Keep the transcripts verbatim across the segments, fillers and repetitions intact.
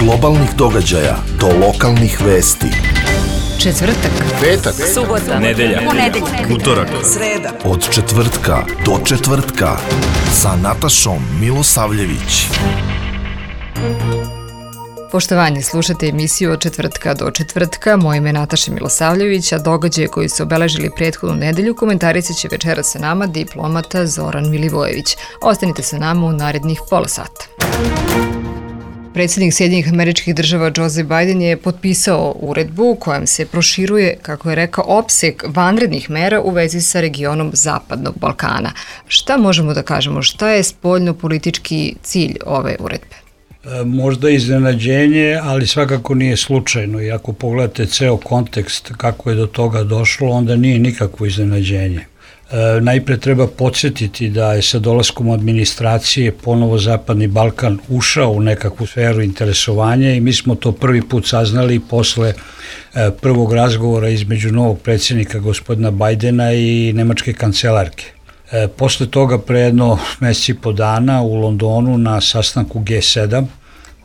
globalnih događaja do lokalnih vesti. Četvrtak, petak, subota, nedelja, ponedeljak, utorak, sreda. Od četvrtka do četvrtka sa Natašom Milosavljević. Poštovanje, slušate emisiju Od četvrtka do četvrtka. Moje ime je Nataša Milosavljević, a događaje koji su obeležili prethodnu nedelju komentarisat će večera sa nama diplomata Zoran Milivojević. Ostanite sa nama u narednih pola sata. Predsjednik Sjedinjenih Američkih Država Joe Biden je potpisao uredbu kojom se proširuje, kako je rekao, opseg vanrednih mera u vezi sa regionom Zapadnog Balkana. Šta možemo da kažemo? Šta je spoljno-politički cilj ove uredbe? Možda iznenađenje, ali svakako nije slučajno. I ako pogledate ceo kontekst kako je do toga došlo, onda nije nikakvo iznenađenje. E, najpre treba podsjetiti da je sa dolaskom administracije ponovo Zapadni Balkan ušao u nekakvu sferu interesovanja i mi smo to prvi put saznali posle e, prvog razgovora između novog predsjednika gospodina Bajdena i nemačke kancelarke. E, posle toga pre jedno mesec i po dana u Londonu na sastanku G sedam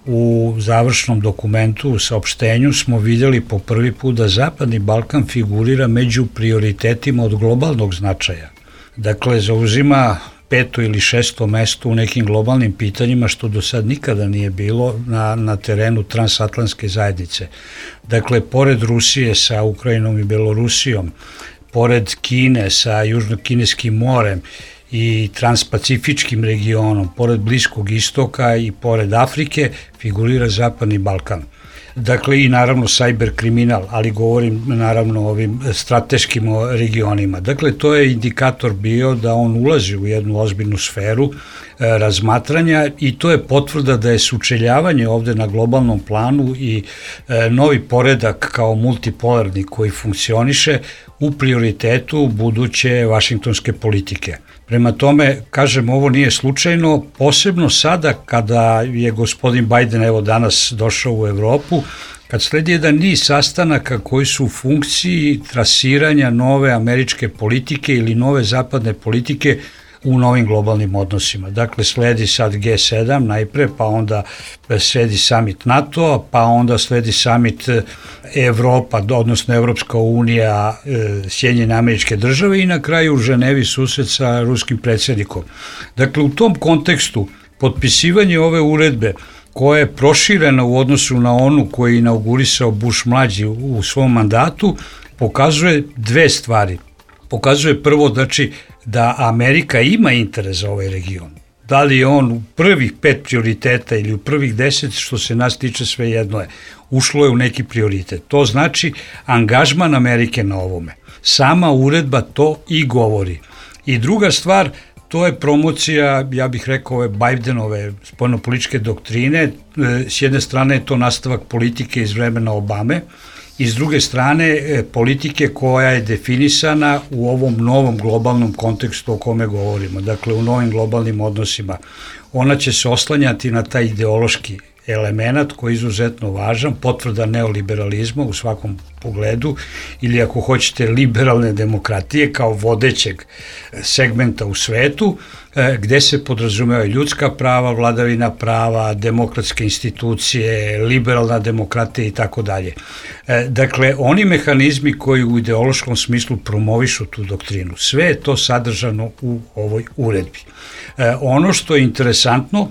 u završnom dokumentu, u saopštenju smo vidjeli po prvi put da Zapadni Balkan figurira među prioritetima od globalnog značaja. Dakle, zauzima peto ili šesto mesto u nekim globalnim pitanjima, što do sad nikada nije bilo na, na terenu transatlantske zajednice. Dakle, pored Rusije sa Ukrajinom i Belorusijom, pored Kine sa Južno-Kineskim morem i transpacifičkim regionom, pored Bliskog istoka i pored Afrike, figurira Zapadni Balkan. Dakle, i naravno sajber kriminal, ali govorim naravno o ovim strateškim regionima. Dakle, to je indikator bio da on ulazi u jednu ozbiljnu sferu e, razmatranja i to je potvrda da je sučeljavanje ovde na globalnom planu i e, novi poredak kao multipolarni koji funkcioniše u prioritetu buduće vašingtonske politike. Prema tome, kažem, ovo nije slučajno, posebno sada kada je gospodin Biden evo danas došao u Evropu, kad sledi jedan niz sastanaka koji su u funkciji trasiranja nove američke politike ili nove zapadne politike u novim globalnim odnosima. Dakle, sledi sad G sedam najpre, pa onda sledi summit NATO-a, pa onda sledi summit Evropa, odnosno Evropska unija, Sjedinjene Američke Države i na kraju u Ženevi susret sa ruskim predsjednikom. Dakle, u tom kontekstu potpisivanje ove uredbe koja je proširena u odnosu na onu koju je inaugurisao Bush mlađi u svom mandatu, pokazuje dve stvari. Pokazuje prvo, znači, da Amerika ima interes za ovaj region. Da li je on u prvih pet prioriteta ili u prvih deset, što se nas tiče, sve jedno je. Ušlo je u neki prioritet. To znači angažman Amerike na ovome. Sama uredba to i govori. I druga stvar, to je promocija, ja bih rekao, ove Bidenove spoljnopolitičke doktrine. S jedne strane je to nastavak politike iz vremena Obame, i s druge strane politike koja je definisana u ovom novom globalnom kontekstu o kome govorimo, dakle u novim globalnim odnosima. Ona će se oslanjati na taj ideološki element koji je izuzetno važan, potvrda neoliberalizma u svakom pogledu ili ako hoćete liberalne demokratije kao vodećeg segmenta u svetu, gde se podrazumevaju ljudska prava, vladavina prava, demokratske institucije, liberalna demokratija i tako dalje. Dakle, oni mehanizmi koji u ideološkom smislu promovišu tu doktrinu, sve je to sadržano u ovoj uredbi. Ono što je interesantno,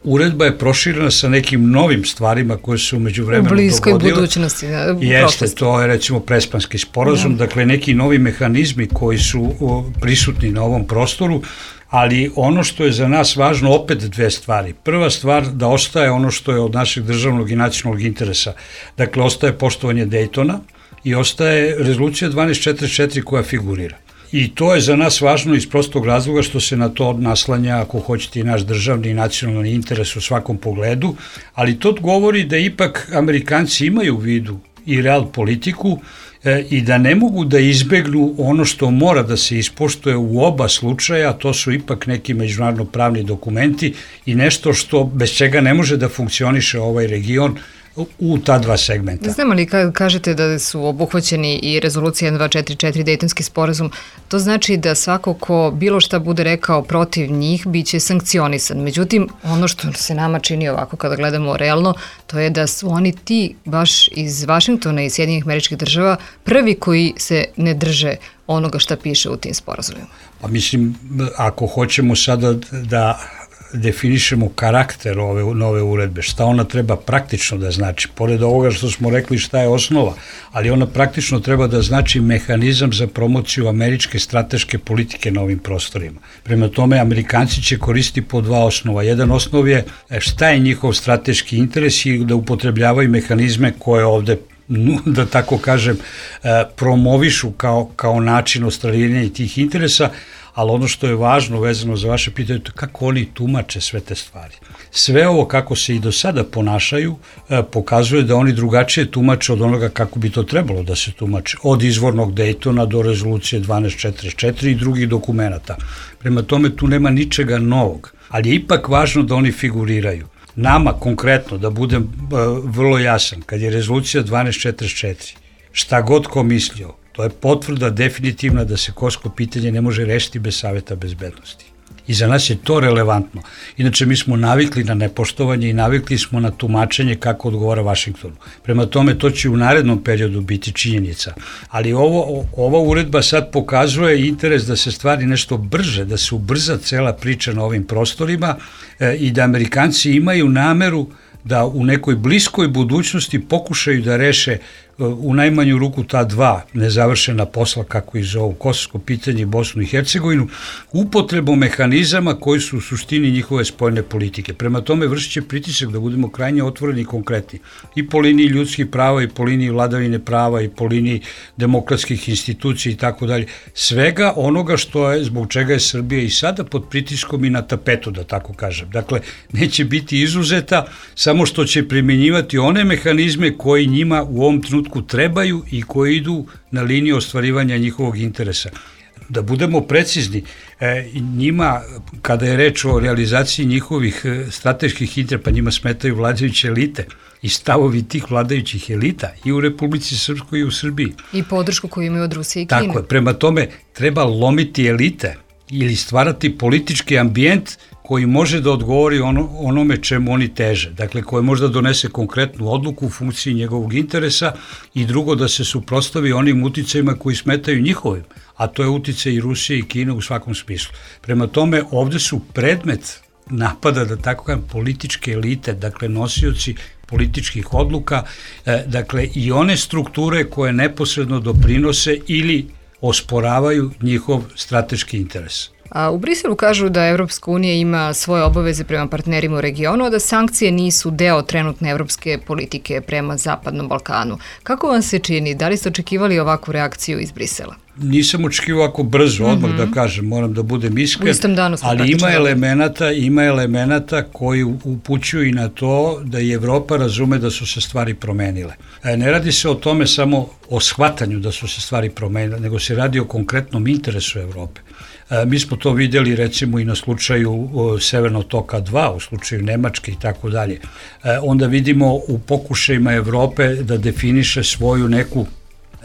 uredba je proširena sa nekim novim stvarima koje su umeđu vremenu dogodile. U bliskoj budućnosti. Jeste, to je recimo Prespanski sporazum, da. Dakle neki novi mehanizmi koji su prisutni na ovom prostoru, ali ono što je za nas važno, opet dve stvari. Prva stvar, da ostaje ono što je od našeg državnog i nacionalnog interesa. Dakle, ostaje poštovanje Dejtona i ostaje rezolucija dvanaest četrdeset četiri koja figurira. I to je za nas važno iz prostog razloga što se na to naslanja, ako hoćete, i naš državni i nacionalni interes u svakom pogledu, ali to govori da ipak Amerikanci imaju u vidu i real politiku e, i da ne mogu da izbegnu ono što mora da se ispoštuje u oba slučaja, to su ipak neki međunarodno pravni dokumenti i nešto što bez čega ne može da funkcioniše ovaj region u ta dva segmenta. Znamo li kad kažete da su obuhvaćeni i rezolucija jedan dva četiri četiri Dejtonski sporazum, to znači da svako ko bilo šta bude rekao protiv njih biće sankcionisan. Međutim, ono što se nama čini ovako kada gledamo realno, to je da su oni ti baš iz Vašingtona i Sjedinjenih Američkih Država prvi koji se ne drže onoga šta piše u tim sporazumima. Pa mislim, ako hoćemo sada da definišemo karakter ove nove uredbe, šta ona treba praktično da znači, pored ovoga što smo rekli šta je osnova, ali ona praktično treba da znači mehanizam za promociju američke strateške politike na ovim prostorima. Prema tome, Amerikanci će koristiti po dva osnova. Jedan osnov je šta je njihov strateški interes i da upotrebljavaju mehanizme koje ovde, da tako kažem, promovišu kao, kao način ostvarivanja tih interesa, ali ono što je važno vezano za vaše pitanje, to je kako oni tumače sve te stvari. Sve ovo kako se i do sada ponašaju pokazuje da oni drugačije tumače od onoga kako bi to trebalo da se tumače, od izvornog Dejtona do rezolucije dvanaest četrdeset četiri i drugih dokumenata. Prema tome tu nema ničega novog, ali je ipak važno da oni figuriraju. Nama konkretno, da budem uh, vrlo jasan, kad je rezolucija dvanaest četrdeset četiri, šta god ko mislio, to je potvrda definitivna da se kosovo pitanje ne može rešiti bez Saveta bezbednosti. I za nas je to relevantno. Inače, mi smo navikli na nepoštovanje i navikli smo na tumačenje kako odgovara Vašingtonu. Prema tome, to će u narednom periodu biti činjenica. Ali ovo, ova uredba sad pokazuje interes da se stvari nešto brže, da se ubrza cela priča na ovim prostorima e, i da Amerikanci imaju nameru da u nekoj bliskoj budućnosti pokušaju da reše u najmanju ruku ta dva nezavršena posla, kako i zovu, kosovsko pitanje i Bosnu i Hercegovinu, upotrebom mehanizama koji su u suštini njihove spoljne politike. Prema tome vršit će pritisak da budemo krajnje otvoreni i konkretni. I po liniji ljudskih prava, i po liniji vladavine prava, i po liniji demokratskih institucija i tako dalje. Svega onoga što je, zbog čega je Srbija i sada pod pritiskom i na tapetu, da tako kažem. Dakle, neće biti izuzeta, samo što će primjenjivati one mehanizme koji njima u ovom trenutku trebaju i koji idu na liniju ostvarivanja njihovog interesa. Da budemo precizni, njima, kada je reč o realizaciji njihovih strateških interesa, pa njima smetaju vladajuće elite i stavovi tih vladajućih elita i u Republici Srpskoj i u Srbiji. I podršku koju imaju od Rusije i Kine. Tako je, prema tome treba lomiti elite ili stvarati politički ambijent koji može da odgovori ono, onome čemu oni teže. Dakle, koji može da donese konkretnu odluku u funkciji njegovog interesa i drugo da se suprotstavi onim uticajima koji smetaju njihovim, a to je uticaj i Rusije i Kine u svakom smislu. Prema tome, ovde su predmet napada, da tako kažem, političke elite, dakle nosioci političkih odluka, e, dakle i one strukture koje neposredno doprinose ili osporavaju njihov strateški interes. A u Briselu kažu da Evropska unija ima svoje obaveze prema partnerima u regionu, a da sankcije nisu deo trenutne evropske politike prema Zapadnom Balkanu. Kako vam se čini? Da li ste očekivali ovakvu reakciju iz Brisela? Nisam očekivao ovako brzo, odmah mm-hmm. da kažem, moram da budem iskren, ali ima elemenata, ima elemenata koji upućuju i na to da i Evropa razume da su se stvari promenile. Ne radi se o tome samo o shvatanju da su se stvari promenile, nego se radi o konkretnom interesu Evrope. Mi smo to vidjeli recimo i na slučaju Severnog toka dva, u slučaju Nemačke i tako dalje. Onda vidimo u pokušajima Evrope da definiše svoju neku,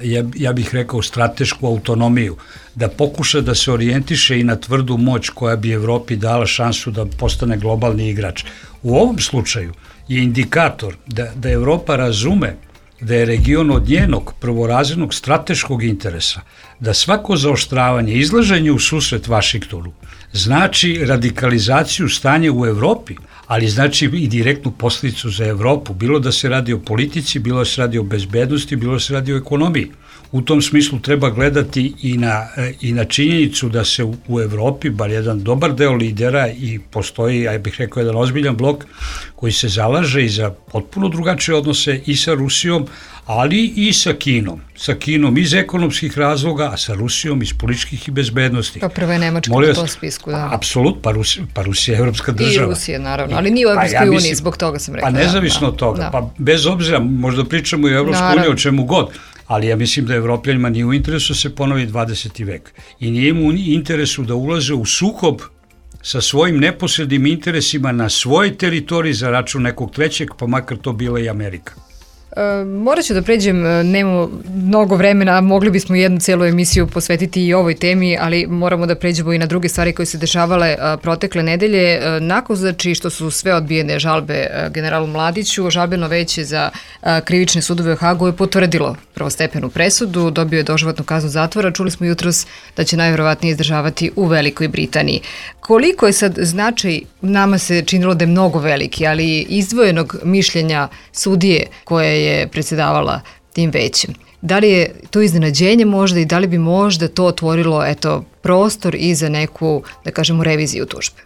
ja, ja bih rekao, stratešku autonomiju, da pokuša da se orijentiše i na tvrdu moć koja bi Evropi dala šansu da postane globalni igrač. U ovom slučaju je indikator da, da Evropa razume da je region od njenog prvorazrednog strateškog interesa, da svako zaoštravanje, izlaženje u susret Vašingtonu znači radikalizaciju stanja u Evropi, ali znači i direktnu posljedicu za Evropu, bilo da se radi o politici, bilo da se radi o bezbednosti, bilo da se radi o ekonomiji. U tom smislu treba gledati i na, i na činjenicu da se u, u Evropi, bar jedan dobar deo lidera i postoji, ja bih rekao, jedan ozbiljan blok koji se zalaže i za potpuno drugačije odnose i sa Rusijom, ali i sa Kinom. Sa Kinom iz ekonomskih razloga, a sa Rusijom iz političkih i bezbednosti. Pa prva je Nemačka na tom spisku, da. Apsolutno, pa, Rusi, pa Rusija je evropska država. I Rusija, naravno, ali nije u Evropskoj pa, ja uniji, zbog toga sam rekla. Pa nezavisno od toga, da. Pa bez obzira, možda pričamo i o Evropskoj uniji, o čemu god, ali ja mislim da Evropljanima nije u interesu se ponovi dvadeseti vek. I nije mu u interesu da ulaze u sukob sa svojim neposrednim interesima na svojoj teritoriji za račun nekog trećeg, pa makar to bila i Amerika. E, morat ću da pređem, nemamo mnogo vremena, mogli bismo jednu celu emisiju posvetiti i ovoj temi, ali moramo da pređemo i na druge stvari koje se dešavale a, protekle nedelje. A, nakon znači što su sve odbijene žalbe a, generalu Mladiću, žalbeno veće za a, krivične sudove u Hagu je potvrdilo prvostepenu presudu, dobio je doživotnu kaznu zatvora, čuli smo jutros da će najverovatnije izdržavati u Velikoj Britaniji. Koliko je sad značaj, nama se činilo da je mnogo veliki, ali izdvojenog mišljenja sudije koje je predsjedavala tim većem. Da li je to iznenađenje možda i da li bi možda to otvorilo eto, prostor i za neku, da kažemo, reviziju tužbe?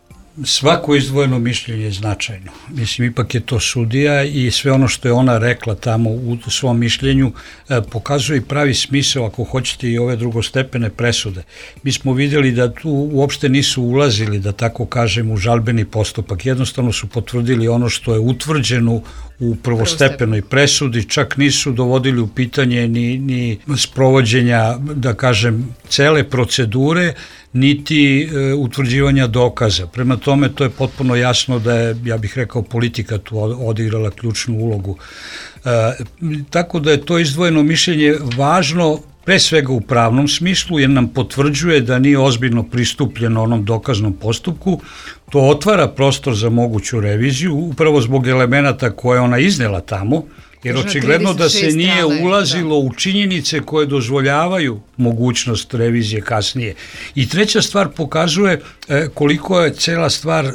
Svako izdvojeno mišljenje je značajno. Mislim, ipak je to sudija i sve ono što je ona rekla tamo u svom mišljenju eh, pokazuje i pravi smisao, ako hoćete, i ove drugostepene presude. Mi smo vidjeli da tu uopšte nisu ulazili, da tako kažem, u žalbeni postupak. Jednostavno su potvrdili ono što je utvrđeno u prvostepenoj presudi, čak nisu dovodili u pitanje ni, ni sprovođenja, da kažem, cele procedure, niti e, utvrđivanja dokaza. Prema tome, to je potpuno jasno da je, ja bih rekao, politika tu odigrala ključnu ulogu. E, tako da je to izdvojeno mišljenje važno pre svega u pravnom smislu, jer nam potvrđuje da nije ozbiljno pristupljeno onom dokaznom postupku. To otvara prostor za moguću reviziju, upravo zbog elemenata koje ona iznela tamo, jer očigledno da se nije ulazilo u činjenice koje dozvoljavaju mogućnost revizije kasnije. I treća stvar pokazuje koliko je cela stvar,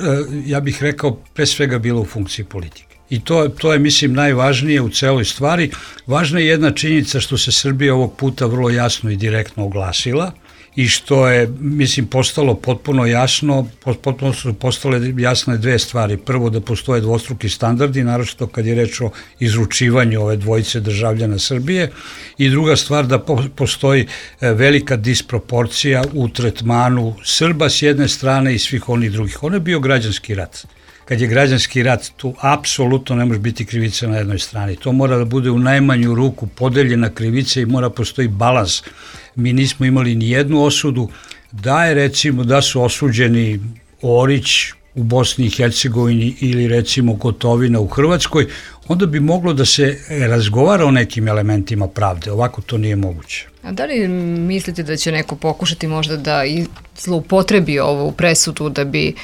ja bih rekao, pre svega bila u funkciji politike. I to, to je, mislim, najvažnije u celoj stvari. Važna je jedna činjenica što se Srbija ovog puta vrlo jasno i direktno oglasila i što je, mislim, postalo potpuno jasno, potpuno su postale jasne dve stvari. Prvo, da postoje dvostruki standardi, naročito kad je reč o izručivanju ove dvojice državljana Srbije, i druga stvar, da postoji velika disproporcija u tretmanu Srba s jedne strane i svih onih drugih. Ono je bio građanski rat. Kad je građanski rat, tu apsolutno ne može biti krivica na jednoj strani. To mora da bude u najmanju ruku podeljena krivica i mora postoji balans. Mi nismo imali ni jednu osudu. Da je, recimo, da su osuđeni Orić u Bosni i Hercegovini ili, recimo, Gotovina u Hrvatskoj, onda bi moglo da se razgovara o nekim elementima pravde. Ovako to nije moguće. A da li mislite da će neko pokušati možda da zloupotrebi ovu presudu da bi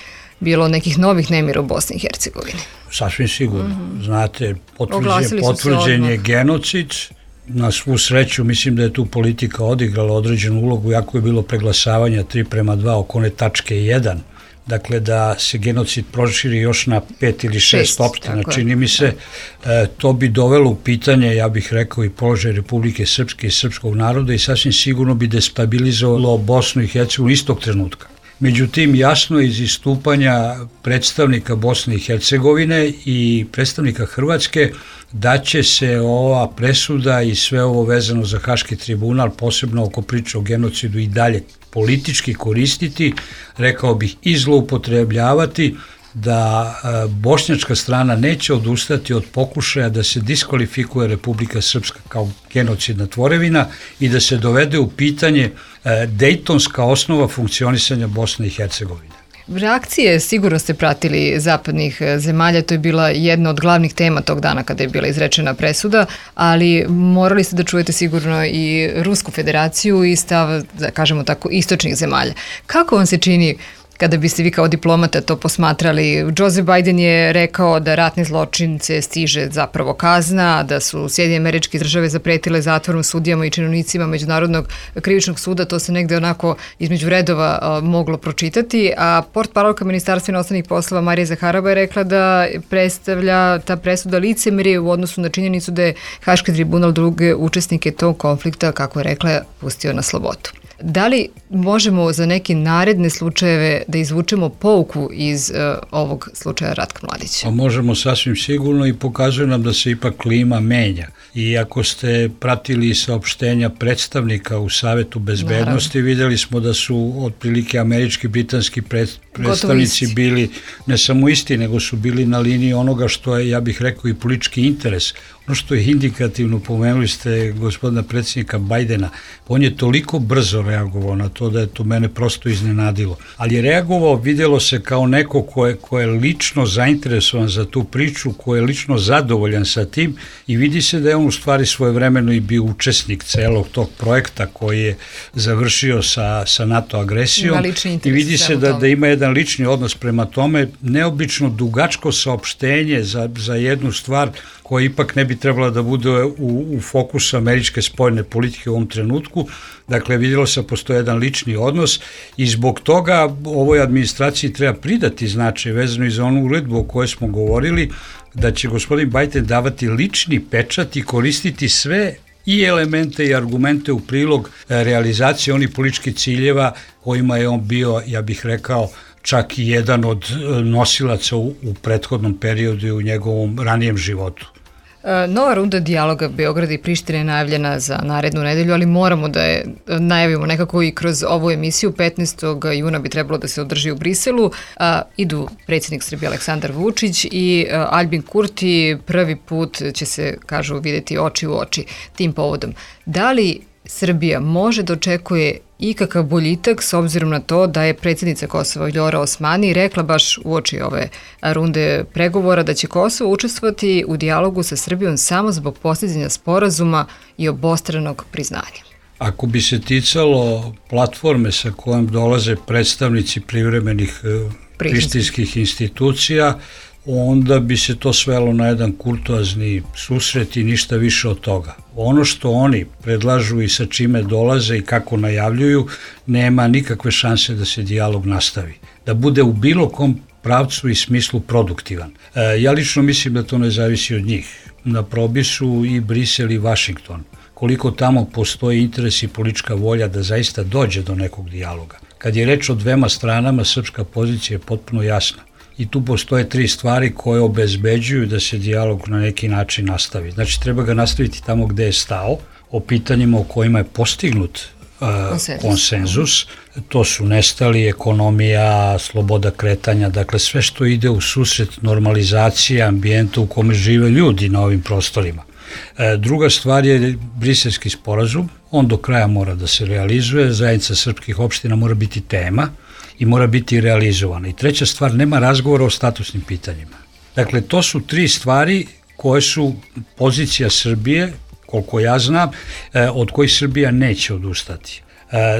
bilo nekih novih nemira u Bosni i Hercegovini? Sasvim sigurno. Mm-hmm. Znate, potvrđen, potvrđen je genocid. Na svu sreću, mislim da je tu politika odigrala određenu ulogu, jako je bilo preglasavanja tri prema dva oko one tačke jedan. Dakle, da se genocid proširi još na pet ili šest, šest opština. Čini mi se, e, to bi dovelo u pitanje, ja bih rekao, i položaj Republike Srpske i srpskog naroda i sasvim sigurno bi destabilizovalo Bosnu i Hercegovinu istog trenutka. Međutim, jasno je iz istupanja predstavnika Bosne i Hercegovine i predstavnika Hrvatske da će se ova presuda i sve ovo vezano za Haški tribunal, posebno oko priče o genocidu, i dalje politički koristiti, rekao bih i zloupotrebljavati, da bošnjačka strana neće odustati od pokušaja da se diskvalifikuje Republika Srpska kao genocidna tvorevina i da se dovede u pitanje dejtonska osnova funkcionisanja Bosne i Hercegovine. Reakcije sigurno ste pratili zapadnih zemalja, to je bila jedna od glavnih tema tog dana kada je bila izrečena presuda, ali morali ste da čujete sigurno i Rusku federaciju i stav, da kažemo tako, istočnih zemalja. Kako vam se čini kada biste vi kao diplomata to posmatrali? Joe Biden je rekao da ratne zločince stiže zapravo kazna, da su Sjedinjene Američke Države zapretile zatvorom sudijama i činovnicima Međunarodnog krivičnog suda, to se negde onako između redova a, moglo pročitati, a portparolka Ministarstva inostranih poslova Marija Zaharova je rekla da predstavlja ta presuda licemerje u odnosu na činjenicu da je Haški tribunal druge učesnike tog konflikta, kako je rekla, pustio na slobodu. Da li možemo za neke naredne slučajeve da izvučemo pouku iz uh, ovog slučaja Ratka Mladića? Pa možemo sasvim sigurno i pokazuje nam da se ipak klima menja. I ako ste pratili saopštenja predstavnika u Savetu bezbednosti, Naravno. Vidjeli smo da su otprilike američki, britanski predstavnici bili ne samo isti, nego su bili na liniji onoga što je, ja bih rekao, i politički interes. Ono što je indikativno, pomenuli ste gospodina predsjednika Bajdena, on je toliko brzo reagovao na to da je to mene prosto iznenadilo. Ali je reagovao, vidjelo se kao neko ko je, ko je lično zainteresovan za tu priču, ko je lično zadovoljan sa tim i vidi se da je on u stvari svojevremeno i bio učesnik celog tog projekta koji je završio sa, sa NATO agresijom i vidi se da, da ima jedan lični odnos prema tome, neobično dugačko saopštenje za, za jednu stvar koja ipak ne bi trebala da bude u, u fokusu američke spoljne politike u ovom trenutku. Dakle, vidjelo se postoje jedan lični odnos i zbog toga ovoj administraciji treba pridati značaj vezano i za onu uredbu o kojoj smo govorili, da će gospodin Biden davati lični pečat i koristiti sve i elemente i argumente u prilog realizacije onih političkih ciljeva kojima je on bio, ja bih rekao, čak i jedan od nosilaca u, u prethodnom periodu i u njegovom ranijem životu. Nova runda dijaloga Beograda i Prištine je najavljena za narednu nedelju, ali moramo da je najavimo nekako i kroz ovu emisiju. petnaestog juna bi trebalo da se održi u Briselu. A, idu predsjednik Srbije Aleksandar Vučić i a, Aljbin Kurti. Prvi put će se, kažu, vidjeti oči u oči tim povodom. Da li Srbija može da očekuje ikakav boljitak s obzirom na to da je predsjednica Kosova Vljora Osmani rekla baš uoči ove runde pregovora da će Kosovo učestvovati u dijalogu sa Srbijom samo zbog postizanja sporazuma i obostranog priznanja? Ako bi se ticalo platforme sa kojom dolaze predstavnici privremenih prištinskih institucija, onda bi se to svelo na jedan kurtoazni susret i ništa više od toga. Ono što oni predlažu i sa čime dolaze i kako najavljuju, nema nikakve šanse da se dijalog nastavi, da bude u bilo kom pravcu i smislu produktivan. E, ja lično mislim da to ne zavisi od njih. Na probi su i Brisel i Vašington. Koliko tamo postoji interes i politička volja da zaista dođe do nekog dijaloga. Kad je reč o dvema stranama, srpska pozicija je potpuno jasna. I tu postoje tri stvari koje obezbeđuju da se dijalog na neki način nastavi. Znači, treba ga nastaviti tamo gde je stao, o pitanjima o kojima je postignut uh, konsenzus. konsenzus. To su nestali, ekonomija, sloboda kretanja, dakle sve što ide u susret normalizacije ambijenta u kome žive ljudi na ovim prostorima. E, druga stvar je briselski sporazum, on do kraja mora da se realizuje, zajednica srpskih opština mora biti tema i mora biti realizovana. I treća stvar, nema razgovora o statusnim pitanjima. Dakle, to su tri stvari koje su pozicija Srbije, koliko ja znam, od kojih Srbija neće odustati.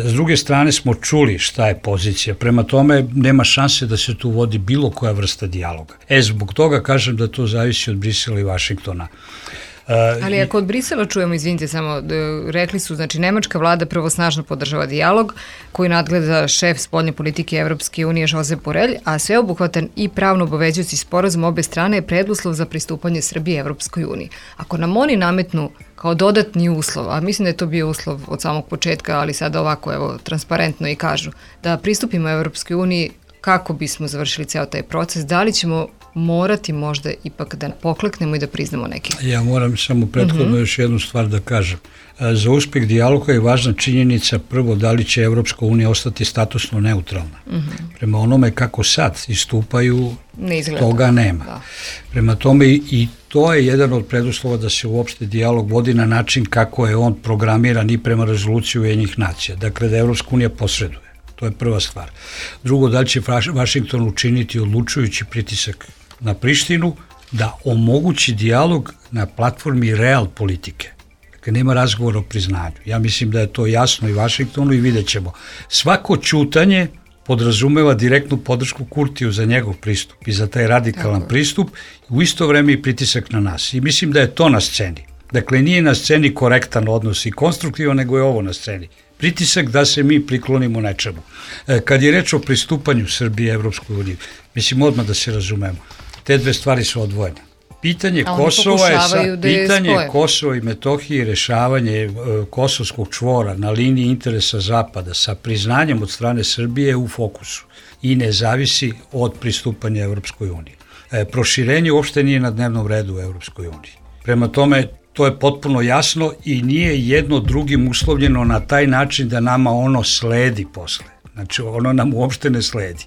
S druge strane smo čuli šta je pozicija, prema tome nema šanse da se tu vodi bilo koja vrsta dijaloga. E, zbog toga kažem da to zavisi od Brisela i Vašingtona. Ali ako od Brisela čujemo, izvinite samo, rekli su, znači nemačka vlada prvo snažno podržava dijalog koji nadgleda šef spoljne politike Evropske unije Josep Borrell, a sveobuhvatan i pravno obavezujući sporazum obe strane je preduslov za pristupanje Srbije Evropskoj uniji. Ako nam oni nametnu kao dodatni uslov, a mislim da je to bio uslov od samog početka, ali sada ovako evo transparentno i kažu da pristupimo Evropskoj uniji kako bismo završili ceo taj proces, da li ćemo morati možda ipak da pokleknemo i da priznamo neki? Ja moram samo prethodno uh-huh. još jednu stvar da kažem. Za uspjeh dijaloga je važna činjenica prvo da li će Evropska unija ostati statusno neutralna. Uh-huh. Prema onome kako sad istupaju, ne toga nema. Da. Prema tome i to je jedan od preduslova da se uopšte dijalog vodi na način kako je on programiran i prema rezoluciji Ujedinjenih nacija. Dakle, da Evropska unija posreduje. To je prva stvar. Drugo, da li će Vašington učiniti odlučujući pritisak na Prištinu da omogući dijalog na platformi real politike. Dakle, nema razgovora o priznanju. Ja mislim da je to jasno i Vašingtonu i vidjet ćemo. Svako ćutanje podrazumeva direktnu podršku Kurtiju za njegov pristup i za taj radikalan Tako. pristup i u isto vreme i pritisak na nas. I mislim da je to na sceni. Dakle, nije na sceni korektan odnos i konstruktivan, nego je ovo na sceni. Pritisak da se mi priklonimo nečemu. Kad je reč o pristupanju Srbije Evropskoj uniji, mislim odmah da se razumemo, te dve stvari su odvojene. Pitanje Kosova je sad, pitanje Kosova i Metohije i rešavanje kosovskog čvora na liniji interesa Zapada sa priznanjem od strane Srbije u fokusu i ne zavisi od pristupanja Evropskoj uniji. Proširenje uopšte nije na dnevnom redu u Evropskoj uniji. Prema tome, to je potpuno jasno i nije jedno drugim uslovljeno na taj način da nama ono sledi posle. Znači, ono nam uopšte ne sledi.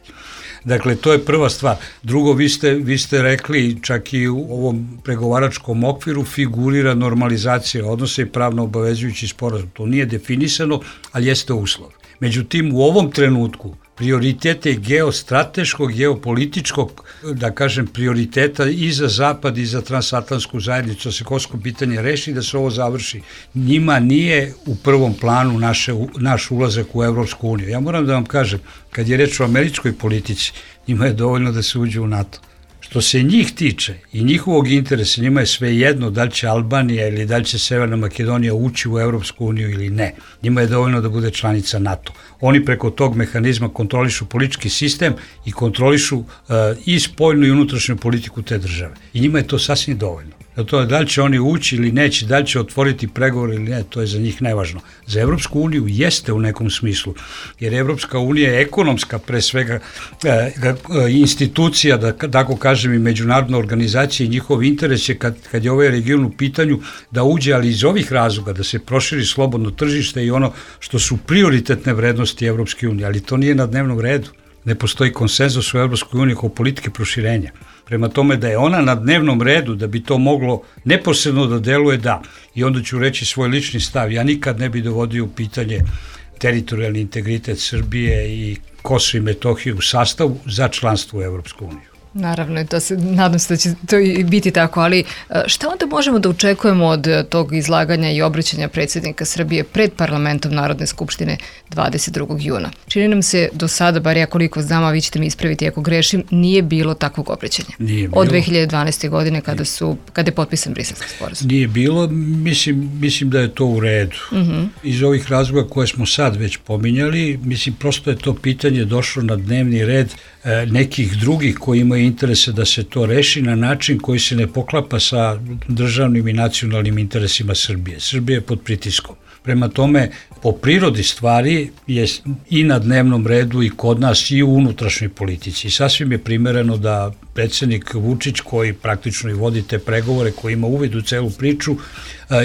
Dakle, to je prva stvar. Drugo, vi ste, vi ste rekli, čak i u ovom pregovaračkom okviru figurira normalizacija odnosa i pravno obavezujući sporazum. To nije definisano, ali jeste uslov. Međutim, u ovom trenutku prioritete geostrateškog, geopolitičkog, da kažem, prioriteta i za Zapad i za transatlantsku zajednicu, da se kosovsko pitanje reši, da se ovo završi. Njima nije u prvom planu naše, naš ulazak u Evropsku uniju. Ja moram da vam kažem, kad je reč o američkoj politici, njima je dovoljno da se uđe u NATO. Što se njih tiče i njihovog interesa, njima je sve jedno da li će Albanija ili da li će Severna Makedonija ući u Evropsku uniju ili ne. Njima je dovoljno da bude članica NATO. Oni preko tog mehanizma kontrolišu politički sistem i kontrolišu uh, i spoljnu i unutrašnju politiku te države. I njima je to sasvim dovoljno. To, da li će oni ući ili neće, da li će otvoriti pregovor ili ne, to je za njih nevažno. Za Evropsku uniju jeste u nekom smislu, jer Evropska unija je ekonomska, pre svega e, institucija, da tako kažem, i međunarodna organizacija i njihov interes je kad, kad je ovaj region u pitanju da uđe, ali iz ovih razloga, da se proširi slobodno tržište i ono što su prioritetne vrednosti Evropske unije, ali to nije na dnevnom redu. Ne postoji konsenzus u Evropskoj uniji kao politike proširenja. Prema tome da je ona na dnevnom redu, da bi to moglo neposredno da deluje, da. I onda ću reći svoj lični stav. Ja nikad ne bi dovodio u pitanje teritorijalni integritet Srbije i Kosovo i Metohiju u sastavu za članstvo u Evropsku uniju. Naravno, to se, nadam se da će to i biti tako, ali šta onda možemo da očekujemo od tog izlaganja i obraćanja predsjednika Srbije pred parlamentom Narodne skupštine dvadeset drugog juna? Čini nam se do sada, bar ja koliko znam, a vi ćete mi ispraviti ako grešim, nije bilo takvog obraćanja. Nije bilo. Od dve hiljade dvanaeste. godine kada, su, kada je potpisan Briselski sporazum. Nije bilo, mislim, mislim da je to u redu. Uh-huh. Iz ovih razloga koje smo sad već pominjali, mislim, prosto je to pitanje došlo na dnevni red e, nekih drugih koji imaju interese da se to reši na način koji se ne poklapa sa državnim i nacionalnim interesima Srbije. Srbija je pod pritiskom. Prema tome, po prirodi stvari je i na dnevnom redu i kod nas i u unutrašnjoj politici. I sasvim je primereno da predsjednik Vučić, koji praktično i vodi te pregovore, koji ima uvid u celu priču,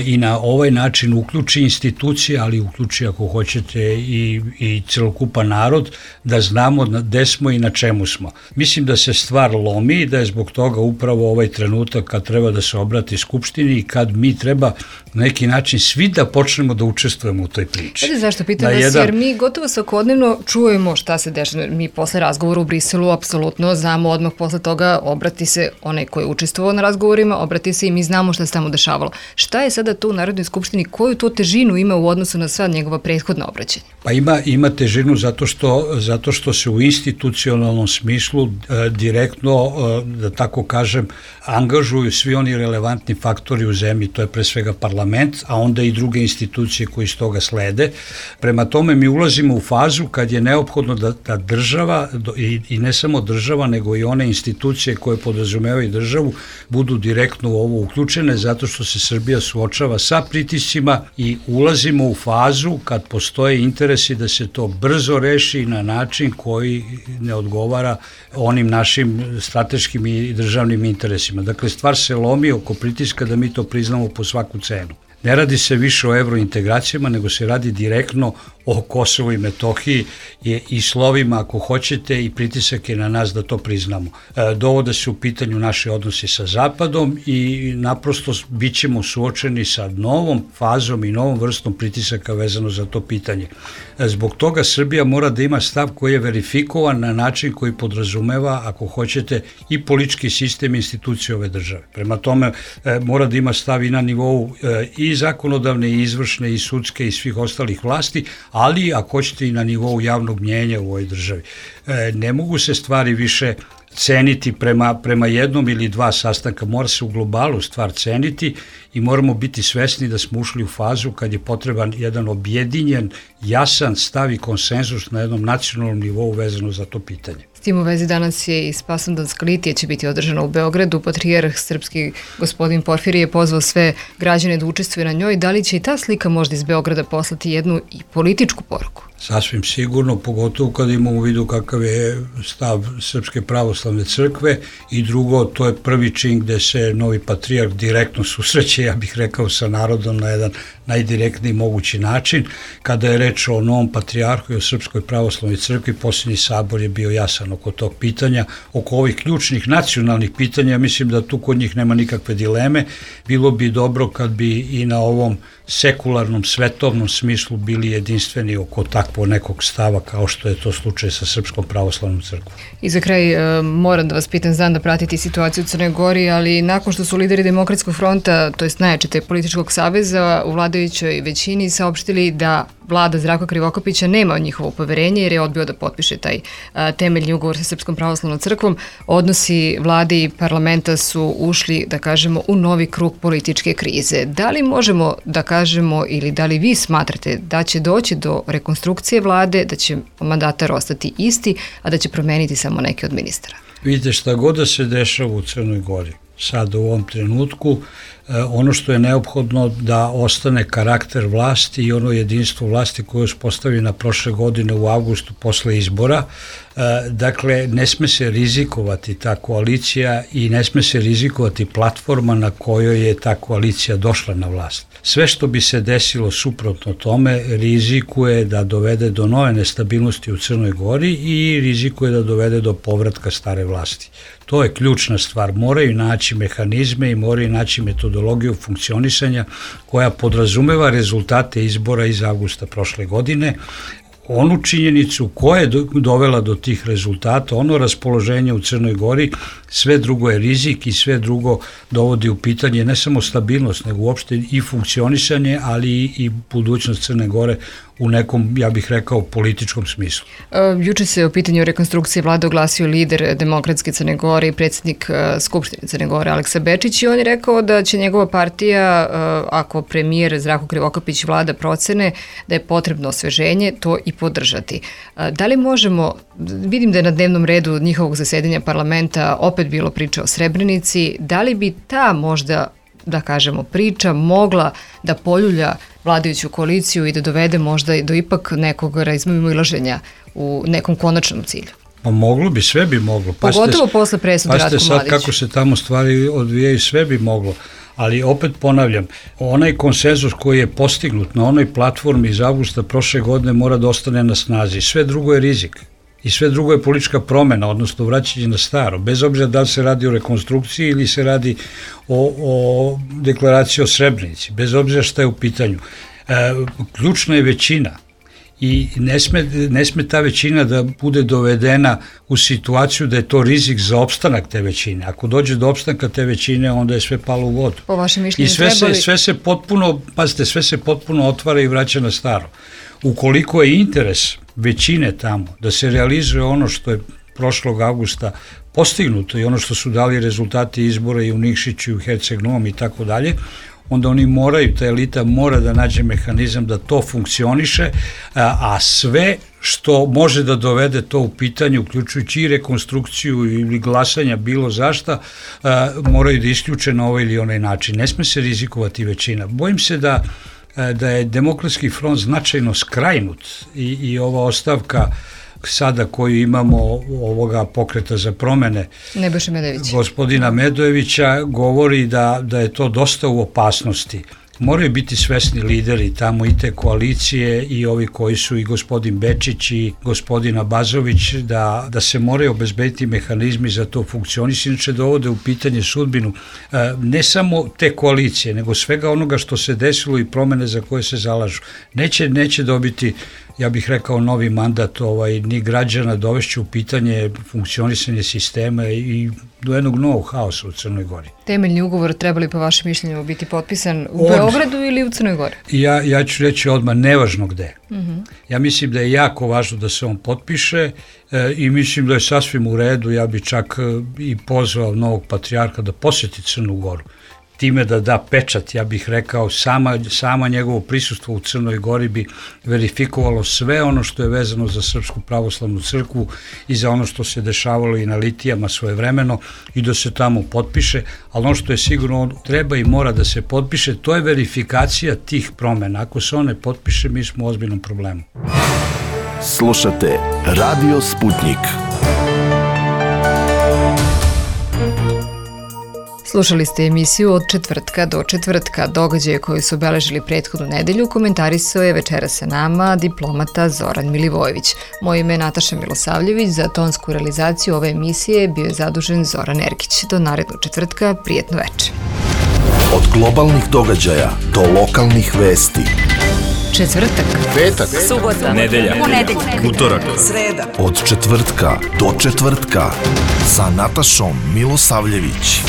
i na ovaj način uključi institucije, ali uključi, ako hoćete, i, i celokupan narod, da znamo gde smo i na čemu smo. Mislim da se stvar lomi i da je zbog toga upravo ovaj trenutak kad treba da se obrati Skupštini i kad mi treba na neki način svi da počnemo da učestvujemo u toj priči. Znate zašto pitam vas, jedan... jer mi gotovo svakodnevno čujemo šta se dešava. Mi posle razgovora u Briselu apsolutno znamo odmah posle toga obrati se onaj koji je učestvovao na razgovorima, obrati se i mi znamo šta se tamo dešavalo. Šta je sada tu u Narodnoj skupštini, koju to težinu ima u odnosu na sva njegova prethodna obraćanja? Pa ima, ima težinu zato što, zato što se u institucionalnom smislu e, direktno, e, da tako kažem, angažuju svi oni relevantni faktori u zemlji, to je pre svega parlament, a onda i druge institucije koji iz toga slede. Prema tome mi ulazimo u fazu kad je neophodno da, da država, i, i ne samo država, nego i one institucije koje podrazumevaju državu, budu direktno u ovo uključene, zato što se Srbija suočava sa pritiscima i ulazimo u fazu kad postoje interesi da se to brzo reši na način koji ne odgovara onim našim strateškim i državnim interesima. Dakle, stvar se lomi oko pritiska da mi to priznamo po svaku cenu. Ne radi se više o evrointegracijama, nego se radi direktno o Kosovu i Metohiji i slovima, ako hoćete, i pritisak je na nas da to priznamo. E, dovode se u pitanju naše odnosi sa Zapadom i naprosto bit ćemo suočeni sa novom fazom i novom vrstom pritisaka vezano za to pitanje. E, zbog toga Srbija mora da ima stav koji je verifikovan na način koji podrazumeva, ako hoćete, i politički sistem institucije ove države. Prema tome, e, mora da ima stav i na nivou e, i zakonodavne, i izvršne, i sudske, i svih ostalih vlasti, ali ako hoćete i na nivou javnog mnjenja u ovoj državi. E, ne mogu se stvari više ceniti prema, prema jednom ili dva sastanka, mora se u globalu stvar ceniti i moramo biti svesni da smo ušli u fazu kad je potreban jedan objedinjen, jasan stav i konsenzus na jednom nacionalnom nivou vezano za to pitanje. S tim u vezi danas je i Spasovdanska litija će biti održana u Beogradu. Patrijarh srpski gospodin Porfirije je pozvao sve građane da učestvuju na njoj. Da li će i ta slika možda iz Beograda poslati jednu i političku poruku? Sasvim sigurno, pogotovo kada imamo u vidu kakav je stav Srpske pravoslavne crkve, i drugo, to je prvi čin gde se novi patrijarh direktno susreće, ja bih rekao, sa narodom na jedan najdirektniji mogući način. Kada je reč o novom patrijarhu i o Srpskoj pravoslavnoj crkvi, posljednji sabor je bio jasan oko tog pitanja, oko ovih ključnih nacionalnih pitanja. Mislim da tu kod njih nema nikakve dileme. Bilo bi dobro kad bi i na ovom sekularnom, svetovnom smislu bili jedinstveni oko takvog nekog stava kao što je to slučaj sa Srpskom pravoslavnom crkvom. I za kraj moram da vas pitam, znam da pratiti situaciju u Crnoj Gori, ali nakon što su lideri Demokratskog fronta, to jest najjače političkog saveza u vladajućoj većini saopštili da vlada Zdravka Krivokapića nema njihovo poverenje jer je odbio da potpiše taj a, temeljni ugovor sa Srpskom pravoslavnom crkvom, odnosi vlade i parlamenta su ušli, da kažemo, u novi krug političke krize. Da li možemo da kažemo ili da li vi smatrate da će doći do rekonstrukcije vlade, da će mandatar ostati isti, a da će promeniti samo neke od ministara? Vidite, šta god da se dešava u Crnoj Gori, sad u ovom trenutku, ono što je neophodno da ostane karakter vlasti i ono jedinstvo vlasti koje je uspostavljena prošle godine u avgustu posle izbora. Dakle, ne sme se rizikovati ta koalicija i ne sme se rizikovati platforma na kojoj je ta koalicija došla na vlast. Sve što bi se desilo suprotno tome rizikuje da dovede do nove nestabilnosti u Crnoj Gori i rizikuje da dovede do povratka stare vlasti. To je ključna stvar. Moraju naći mehanizme i moraju naći metodologiju funkcionisanja koja podrazumeva rezultate izbora iz avgusta prošle godine. Onu činjenicu koja je dovela do tih rezultata, ono raspoloženje u Crnoj Gori, sve drugo je rizik i sve drugo dovodi u pitanje ne samo stabilnost, nego uopšte i funkcionisanje, ali i budućnost Crne Gore u nekom, ja bih rekao, političkom smislu. E, juče se o pitanju rekonstrukcije vlade oglasio lider Demokratske Crne Gore i predsjednik e, Skupštine Crne Gore Aleksa Bečić i on je rekao da će njegova partija, e, ako premijer Zdravko Krivokapić vlada procene da je potrebno osveženje, to i podržati. E, da li možemo, vidim da je na dnevnom redu njihovog zasedanja parlamenta opet bilo priča o Srebrenici, da li bi ta možda, da kažemo, priča mogla da poljulja vladajuću koaliciju i da dovede možda do ipak nekog razmimoilaženja u nekom konačnom cilju? Pa moglo bi, sve bi moglo. Pogotovo posle presude Ratku Mladiću. Pazite sad kako se tamo stvari odvijaju, sve bi moglo. Ali opet ponavljam, onaj konsenzus koji je postignut na onoj platformi iz avgusta prošle godine mora da ostane na snazi. Sve drugo je rizik. I sve drugo je politička promena, odnosno vraćanje na staro, bez obzira da li se radi o rekonstrukciji ili se radi o, o deklaraciji o Srebrenici, bez obzira šta je u pitanju. E, ključna je većina i ne sme, ne sme ta većina da bude dovedena u situaciju da je to rizik za opstanak te većine. Ako dođe do opstanka te većine, onda je sve palo u vodu. Po vašem mišljenju I sve trebali... se, sve se potpuno, pazite, sve se potpuno otvara i vraća na staro. Ukoliko je interes većine tamo da se realizuje ono što je prošlog avgusta postignuto i ono što su dali rezultati izbora i u Nikšiću i u Herceg-Novom i tako dalje, onda oni moraju, ta elita mora da nađe mehanizam da to funkcioniše, a, a sve što može da dovede to u pitanje, uključujući i rekonstrukciju ili glasanja bilo zašta, a, moraju da isključe na ovaj ili onaj način. Ne sme se rizikovati većina. Bojim se da da je Demokratski front značajno skrajnut i, i ova ostavka sada koju imamo ovoga pokreta za promene Nebojše Medojevića. Gospodina Medojevića govori da, da je to dosta u opasnosti. Moraju biti svesni lideri tamo i te koalicije i ovi koji su i gospodin Bečić i gospodin Abazović da, da se moraju obezbediti mehanizmi za to funkcionisanje, inače dovode u pitanje sudbinu ne samo te koalicije, nego svega onoga što se desilo i promene za koje se zalažu. Neće, neće dobiti, ja bih rekao, novi mandat ovaj, ni građana, dovešće u pitanje funkcionisanje sistema i do jednog novog haosa u Crnoj Gori. Temeljni ugovor trebali po vašem mišljenju biti potpisan u Od... Beogradu ili u Crnoj Gori? Ja, ja ću reći odmah, nevažno gde. Uh-huh. Ja mislim da je jako važno da se on potpiše e, i mislim da je sasvim u redu, ja bi čak e, i pozvao novog patrijarha da posjeti Crnu Goru. Time da da pečat, ja bih rekao, sama, sama njegovo prisustvo u Crnoj Gori bi verifikovalo sve ono što je vezano za Srpsku pravoslavnu crkvu i za ono što se dešavalo i na litijama svojevremeno i da se tamo potpiše, ali ono što je sigurno on treba i mora da se potpiše, to je verifikacija tih promena. Ako se on ne potpiše, mi smo u ozbiljnom problemu. Slušate Radio Sputnik. Slušali ste emisiju Od četvrtka do četvrtka. Događaje koji su obeležili prethodnu nedelju komentarisao je večera sa nama diplomata Zoran Milivojević. Moje ime je Nataša Milosavljević, za tonsku realizaciju ove emisije bio je zadužen Zoran Erkić. Do narednog četvrtka, prijetno veče. Od globalnih događaja do lokalnih vesti. Četvrtak, Petak, subota, nedelja, ponedeljak, utorak, sreda. od četvrtka do četvrtka sa Natašom Milosavljević.